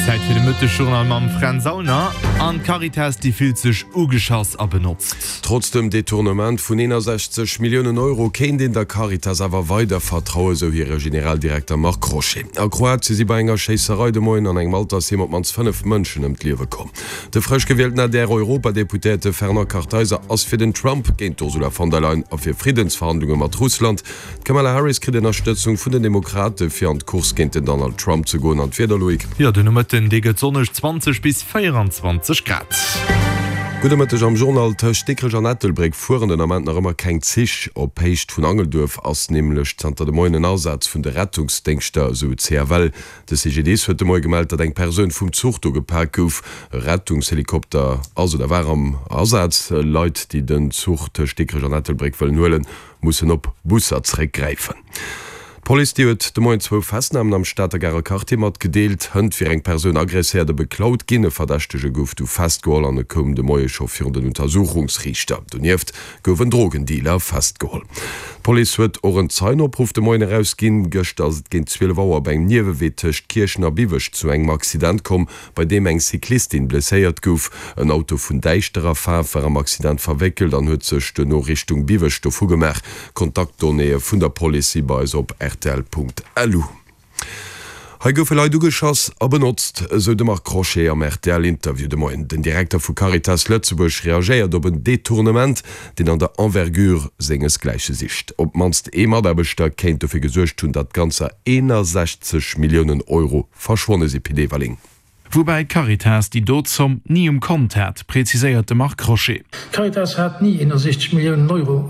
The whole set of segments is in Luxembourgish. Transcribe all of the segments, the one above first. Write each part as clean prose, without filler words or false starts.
Zäit fir de Mëttesjournal mam Fränz Aulner. An d'Caritas, déi fillt sech ugeschass a benotzt. Trotz dem Detournement vun 61 Milliounen Euro kéint een der Caritas awer weider vertrauen, sou hire Generaldirekter Marc Crochet. A Kroatie si bei enger Schéisserei de Moien an engem Altersheem op d'mannst 5 Mënschen ëm d'Liewe komm. De frësch gewielten ADR-Europadeputéierte Fernand Kartheiser ass fir den Trump géint d'Ursula von der Leyen a fir Friddensverhandlunge mat Russland. D'Kamala Harris kritt Ënnerstëtzung vun den Demokrate fir an d'Course géint den Donald Trump ze goen. An d'Wieder, Loïc? Jo, den Nomëtten, dee gëtt sonneg, 20 bis 24 Grad. Gudde Mëtteg am Journal. Tëscht Dikrech an Ettelbréck fueren den Ament nach ëmmer keng Zich. Op Héicht vun Angelduerf ass nämlech zanter de Moien en Asaz vun de Rettungsdéngschter, esou d'CFL. De CGDIS huet de Moie gemellt, datt eng Persoun vum Zuch do gepak gouf. E Rettungshelikopter ass oder war am Asaz. Leit, déi den Zuch tëscht Dikrech an Ettelbréck wëllen huelen, mussen op Busser zeréckgräifen. D'Police, déi huet de Moien zwou Festnamen am Stater Garer Quartier matgedeelt. Hënt wier eng Persoun agresséiert a beklaut ginn. E Verdächtege gouf du festgeholl an e koum de Moie scho virun den Untersuchungsriichter. Donieft gouf en Drogendealer festgeholl. D'Police huet och en Zeienopruff de Moien erausginn. Gëschter ass et géint 12 Auer op engem Niewewee tëscht Kierchen a Biwech zu engem Accident komm, bei deem eng Cyclistin blesséiert gouf. En Auto vun däischterer Faarf war am Accident verwéckelt an huet sech duerno Richtung Biwech dovu gemaach. Kontaktdonnéeë vun der Police si bei eis op rtl.lu. Hei goufe Leit ugeschoss a benotzt, esou de Marc Crochet am RTL-Interview de Moien. Den Direkter vu Caritas Lëtzebuerg reagéiert op en Detournement, deen an der Envergure sengesgläiche sicht. Op d'mannst ee Mataarbechter kéint dofir gesuergt hunn, datt ganzer 61 Milliounen Euro verschwonne si. Pit Everling. Woubäi d'Caritas déi do Zomm ni um Kont hat, preziséiert de Marc Crochet. D'Caritas hat ni 61 Milliounen Euro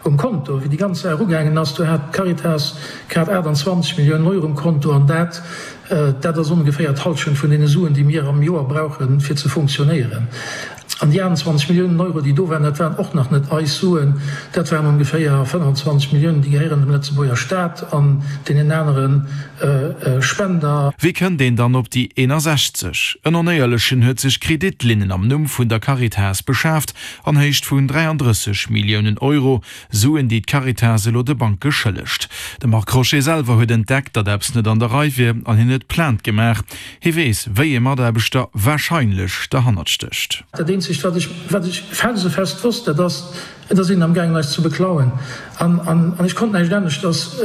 um Konto. Wéi déi ganz Saach ugaangen ass, do hat d'Caritas grad 28 Milliounen Euro um Konto an dat, dat ass ongeféier d'Hallschent vun deene Suen, déi mir am Joer brauchen, fir ze funktionéieren. An déi 28 Milliounen Euro, déi do waren, dat waren och nach net eis Suen, dat waren ongeféier 25 Milliounen, déi gehéieren dem Lëtzebuerger Staat an deenen anere Spender. Wéi kënnt een dann op déi 61? En Onéierlechen huet sech Kreditlinnen am Numm vun der Caritas beschaaft an Héicht vun 33 Milliounen Euro, Suen, déi d'Caritas elo de Banke schëllegt. De Marc Crochet selwer huet entdeckt, datt eppes net an der Rei wier an hien huet Plainte gemaach. Hie weess, wéi ee Mataarbechter warscheinlech derhannert stécht. Dat eenzegt, wat ech, wat ech felsefest wosst, dat ass, Et ass een amgaangen, eis ze beklauen. An, an, an ech konnt näischt aneschters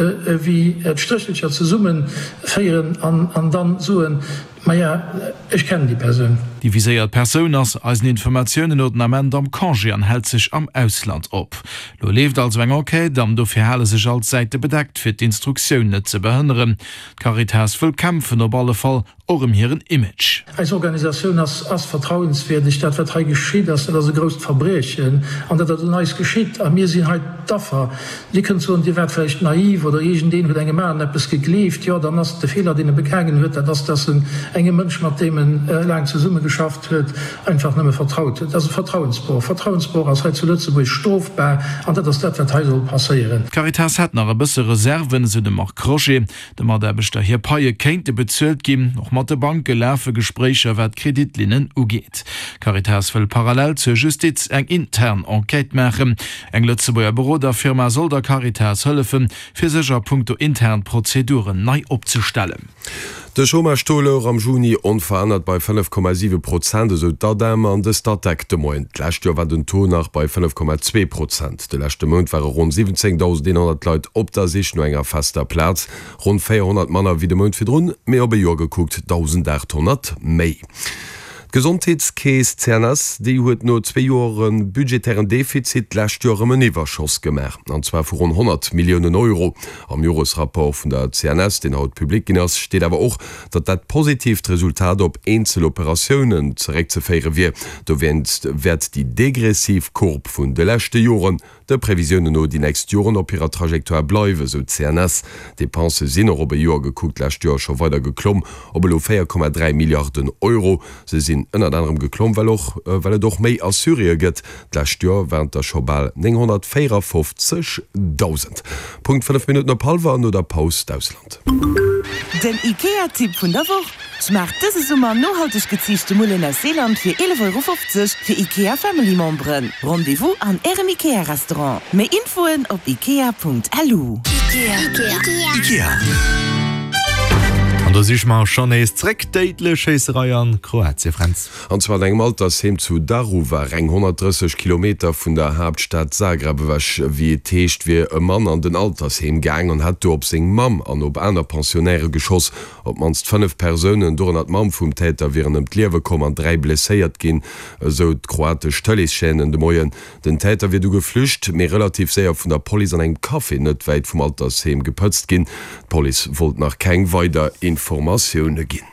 wéi d'Stréchelcher zesummeféieren an, an dann soen, Maja, ech kennen déi Persoun. Déi viséiert Persoun ass eisen Informatiounen no den Ament am Congé an hält sech am Ausland op. Lo leeft also eng Enquête an dofir hale sech all d'Säite bedeckt, fir d'Instruktioun net ze behënneren. D'Caritas wëll kämpfen, op alle Fall och ëm hiren Image. Eis Organisatioun ass ass vertrauenswierdeg. Dat wat hei geschitt ass, dat ass e grousst Verbriechen an dat ass un eis geschitt a mir sinn hei d'Affer. Dir kënnt soen, Dir waart vläicht naiv oder iergendeen huet engem aneren eppes gegleeft. Jo, dann ass de Feeler, deen e begaangen huet, dat ass, dass en engem Mënsch, mat deem en laang zesummegeschafft huet, einfach nëmme vertraut huet. Dat ass e Vertrauensbroch. Vertrauensbroch ass hei zu Lëtzebuerg strofbar an dat ass dat, wat hei soll passéieren. D'Caritas hätt nach e bësse Reserven, esou de Marc Crochet. De Mataarbechter hir Paie kéinte bezuelt ginn. Och mat de Banke lafe Gespréicher, wat d'Kreditlinnen ugeet. D'Caritas wëll parallel zur Justiz eng intern Enquête maachen. Eng Lëtzebuerger Beroderfirma soll der Caritas hëllefen, fir sech a punkto intern Prozeduren nei opzestellen. De Chômage-Taux louch am Juni onverännert bei 5,7 Prozent, esou d'ADEM an de Statec de Moien. D'lescht Joer war den Taux nach bei 5,2 Prozent. De leschte Mount ware ronn 17.100 Leit op der Sich no enger fester Plaz, ronn 400 manner wéi de Mount virdrun, mee op e Joer gekuckt 1.800 méi. D'Gesondheetskeess CNS, déi huet no zwee Joere budgetären Defizit d'lescht Joer erëm en Iwwerschoss gemaach, an zwar vu ronn 100 Milliounen Euro. Am Joresrapport vun der CNS, deen haut public ginn ass, steet awer och, datt dat positiivt Resultat op eenzel Operatiounen zeréckzeféiere wier. Dowéinst wäert déi degressiv Courbe vun de leschte Joren De Previsiounen no déi nächst Joren op hirer Trajectoire bleiwen, sou d'CNS. D'Depensë sinn och op e Joer gekuckt d'lescht Joer scho weider geklomm, op elo 4,3 Milliarden Euro. Se sinn ënnert anerem geklomm, well och well et och méi Assuréë gëtt. D'lescht Joer waren et der scho bal 954.000. Punkt 5 Minutten op hallwer, no der Paus d'Ausland. Den IKEA-Tipp vun der Woch, Schmaacht dëse Summer nohalteg geziichte Mullen aus Seeland fir 11,50 Euro fir IKEA Family Memberen. Rendez-vous an Ärem IKEA Restaurant. Méi Infoen op ikea.lu. An. An do si mer schonn nees zréck. Déidlech Schéisserei an Kroatien, Fränz. An zwar an engem Altersheem zu Daruvar, eng 130 Kilometer vun der Haaptstad Zagreb ewech. Wéi et heescht, wier e Mann an den Altersheem gaang an hätt do op seng Mamm an op aner Pensionnairë geschoss. Op d'mannst 5 Persounen, dorënner d'Mamm vum Täter, wieren ëm d'Liewe komm an 3 blesséiert ginn, esou d'kroatesch Tëleeschaîne de Moien. Den Täter wier du geflücht, mee relativ séier vun der Police an engem Café net wäit vum Altersheem gepëtzt ginn. D'Police wollt nach keng weider Informatioune ginn.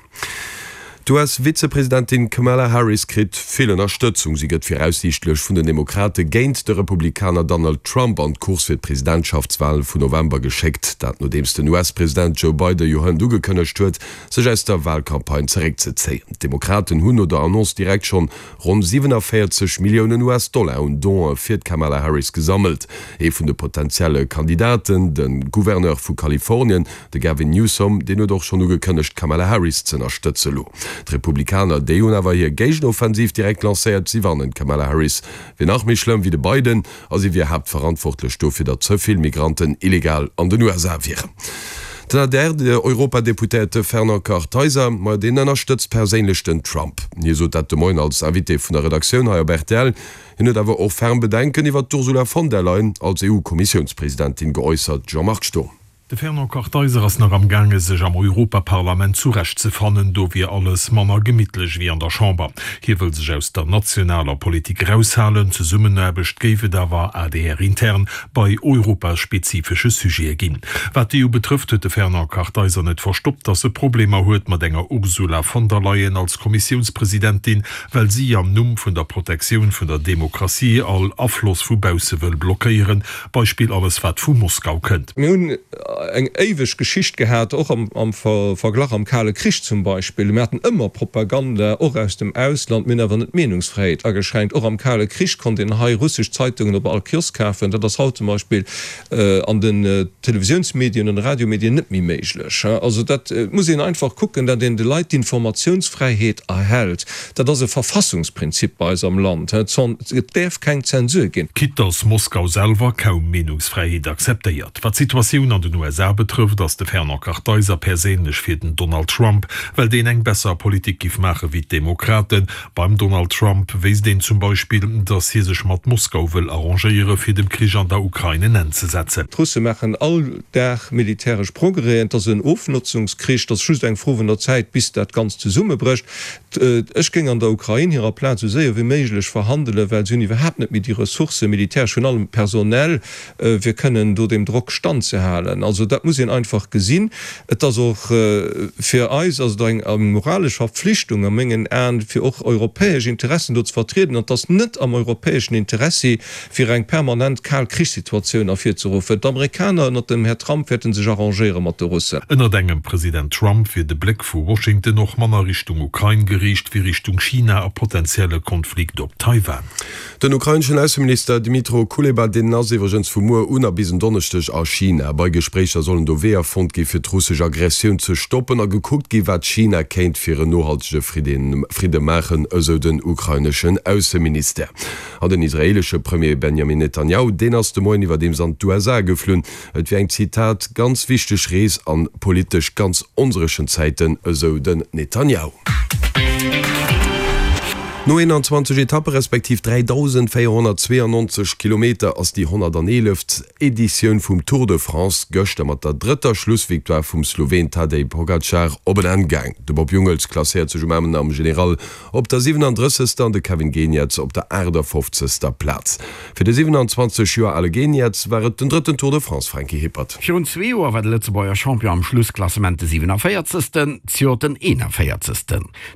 D'US-Vizepresidentin Kamala Harris kritt vill Ënnerstëtzung. Si gëtt viraussiichtlech vun den Demokrate géint de Republikaner Donald Trump an d'Course fir d'Presidentschaftswale vun November geschéckt. Dat nodeems den US-President Joe Biden jo hënt ugekënnegt huet, sech aus der Walcampagne zeréckzezéien. D'Demokraten hunn no der Annonce direkt schonn Ronn 47 Milliounen US-Dollar un Donë fir d'Kamala Harris gesammelt. Ee vun de potentielle Kandidaten, de Gouverneur vu Kalifornien, de Gavin Newsom, deen huet och schonn ugekënnegt, d'Kamala Harris z'ënnerstëtze lo. D'Republikaner, déi hunn awer hir Géigenoffensiv direkt lancéiert. Si warnen, d'Kamala Harris wier nach méi schlëmm wéi de Biden a si wier haaptverantwortlech dofir, datt ze vill Migranten illegal an den USA wieren. Den ADR-Europadeputéierte Fernand Kartheiser, ma deen ënnerstëtzt perséinlech den Trump. Hie sot dat de Moien als Invité vun der Redaktioun hei op rtl. Hien huet awer och ferm Bedenken iwwer d'Ursula von der Leyen als EU-Kommissiounspresidentin geäussert. Jean-Marc Sturm. De Fernand Kartheiser ass nach am gaange sech am Europaparlament zurecht ze fannen. Do wier alles manner gemittlech wéi an der Chamber. Hie wëll sech aus der nationaler Politik eraushalen. Zesummenaarbecht géif et awer ADR-intern bei europaspezifesche Sujete ginn. Wat d'EU betrëfft, huet de Fernand Kartheiser net verstoppt, datt e Problemer huet mat enger Ursula von der Leyen als Kommissiounspresidentin, well si am Numm vun der Protektioun vun der Demokratie all Afloss vu bausse wëll blockéieren. Beispill alles wat vu Moskau kënnt. Mir hunn eng éiweg Geschicht gehat, och am Verglach am Kale Krich zum Beispill. Mir haten ëmmer Propaganda, och aus dem Ausland. Mir hunn awer net d'Meenungsfräiheet ageschränkt. Och am Kale Krich konnt een hei russesch Zeitungen op all Kiosk kafen. Dat ass haut zum Beispill an den Televisiounsmedien an de Radiomedien net méi méiglech. Also dat muss een einfach kucken, datt een de Leit d'Informatiounsfräiheet erhält. Dat ass e Verfassungsprinzip bei eis am Land. Et däerf keng Zensur ginn. Quitte dass Moskau selwer kaum Meenungsfräiheet akzeptéiert. Wat d'Situatioun an den USA betrëfft, ass de Fernand Kartheiser perséinlech fir den Donald Trump, well deen eng besser Politik giff maache wéi d'Demokraten. Beim Donald Trump wéisst een zum Beispill, dass hie sech mat Moskau wëll arrangéiere fir dem Krich an der Ukrain en Enn ze setzen. D'Russe maachen all Dag militäresch Progrèsen. Et ass en Ofnotzungskrich. Et ass just eng Fro vun der Zäit, bis dat Ganzt zesummebrécht. Ech géing an der Ukrain hirer Plaz esou séier wéi méiglech verhandelen, well si hunn iwwerhaapt net méi déi Ressourcen, militäresch, virun allem personell, fir kënnen do deem Drock standzehalen. Also dat muss een einfach gesinn. Et ass och fir eis ass et eng moralesch Verpflichtung a mengen Aen, fir och europäesch Interessen do ze vertrieden. An et ass net am europäeschen Interessi, fir eng permanent kal Krichssituatioun ervirzeruffen. D'Amerikaner ënnert dem Här Trump wäerte sech arrangéiere mat de Russen. Ënnert engem President Trump wier de Bléck vu Washington och manner Richtung Ukrain geriicht wéi Richtung China a potentielle Konflikt op Taiwan. Den ukraineschen Ausseminister Dmytro Kuleba, deen ass iwwregens vu muer un a bis en Donneschdeg a China. Bei Gespréicher sollen do Weeër fonnt gi fir d'russesch Aggressioun ze stoppen a gekuckt gi wat China kéint fir en nohaltege Fridde maachen, esou den ukraineschen Ausseministère. An den israeelesche Premier Benjamin Netanjahu, deen ass de Moien iwwerdeems an d'USA geflunn. Et wier eng, Zitat, ganz wichteg Rees an politesch ganz onséchen Zäiten, esou den Netanjahu. No 21 Etappe respektiv 3.492 Kilometer ass déi 111. Editioun vum Tour de France gëschter mat der drëtter Schlussvictoire vum Sloween Tadej Pogacar op en Enn gaang. De Bob Jungels klasséiert sech um Enn am General Op der 37. an de Kevin Geniets op der 58. Plaz. Fir de 27 Joer ale Geniets war et den drëtten Tour de France, Franky Hippert. Virun zwee Joer war de Lëtzebuerger Champion am Schlussklassement de 47. Zejoert den 41.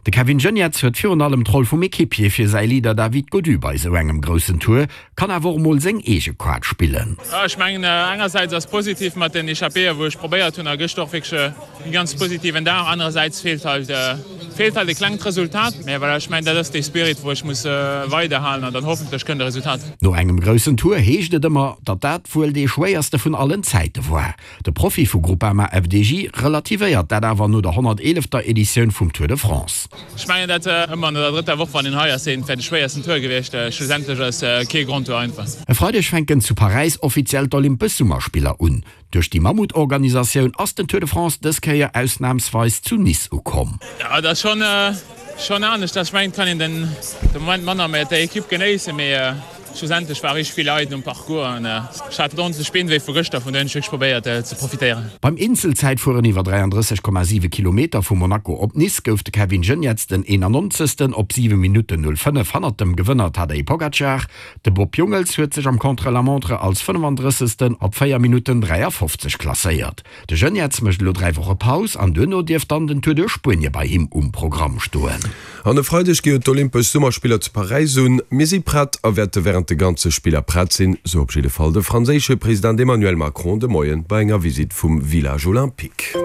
De Kevin Geniets huet virun allem d'Roll vum Equipier fir säi Leader David Gaudu bei esou engem groussen Tour, kann awer och mol seng eege Kaart spillen. Ech mengen engersäits ass positiv mat den Echappéeë wou ech probéiert hunn a gëschter och wierklech e ganz positiven Dag. Anerersäits feelt halt feelt halt e klengt Resultat. Mä voilà, ech mengen dat ass dee Spirit wou ech muss weiderhalen an dann hoffentlech kënnt e Resultat. No engem groussen Tour heescht et ëmmer, datt dat wuel dee schwéierste vun allen Zäite war. De Profi vu Groupama FDJ relativéiert dat awer no der 111. Editioun vum Tour de France. Ech mengen dat ëmmer no der drëtter Woch, wann een hei ass, seet, et wär de schwéiersten Tour gewiescht. Schlussendlech ass kee Grand Tour einfach. E Freideg fänken zu Paräis offiziell d'Olympesch Summerspiller un. Duerch déi Mammutorganisatioun ass den Tour de France dës Kéier ausnamsweis zu Nice ukomm. Jo, et ass schonn schonn anescht. Ech mengen, et kann een den de Moment manner mat der Ekipp genéissen, mee schlussendlech ware richteg vill Leit um Parcours an ech hat ordentlech Beenwéi vu gëschter, vun dohier hunn ech wierklech probéiert ze profitéieren. Beim Eenzelzäitfueren iwwer 33,7 Kilometer vu Monaco op Nice gouf de Kevin Geniets den 91. Op 7 Minutten 05 hannert dem Gewënner Tadej Pogacar. De Bob Jungels huet sech am Contre-la-montre als 35. op 4 Minutten 53 klasséiert. De Geniets mécht elo 3 Woche Paus an duerno dierft dann den Tour duerch Spuenie bei him um Programm stoen. An e Freideg gi jo d'Olympesch Summerspiller zu Paräis un. Mir si prett a wäerte wärend de ganze Spiller prett sinn, sou op jidde Fall de franséische President Emmanuel Macron de Moien bei enger Visitt vum Village Olympique.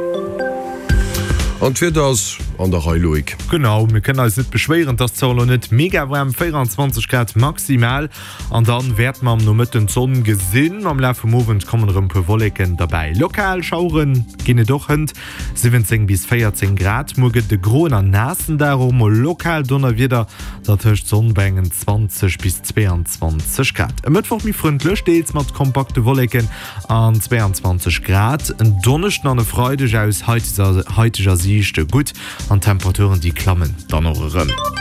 An d'Wieder ass an der Rei, Loïc. Genau, mir kënnen eis net beschwéieren, et ass zwar elo net mega waarm, 24 Grad maximal, an dann wäerte mer am Nomëtten d'Sonn gesinn. Am Laf vum Owend kommen erëm puer Wolleken derbäi, lokal Schauere ginn et och. Hënt 17 bis 14 Grad. Muer gëtt et e groen an naassen Dag, och mol lokal Donnerwieder, dertëscht Sonn bei engen 20 bis 22 Grad. E Mëttwoch méi frëndlech, deels mat kompakte Wolleken An 22 Grad en Donneschden an e Freideg aus haiteger Siicht gutt an d'Temperaturen déi klammen dann och erëm.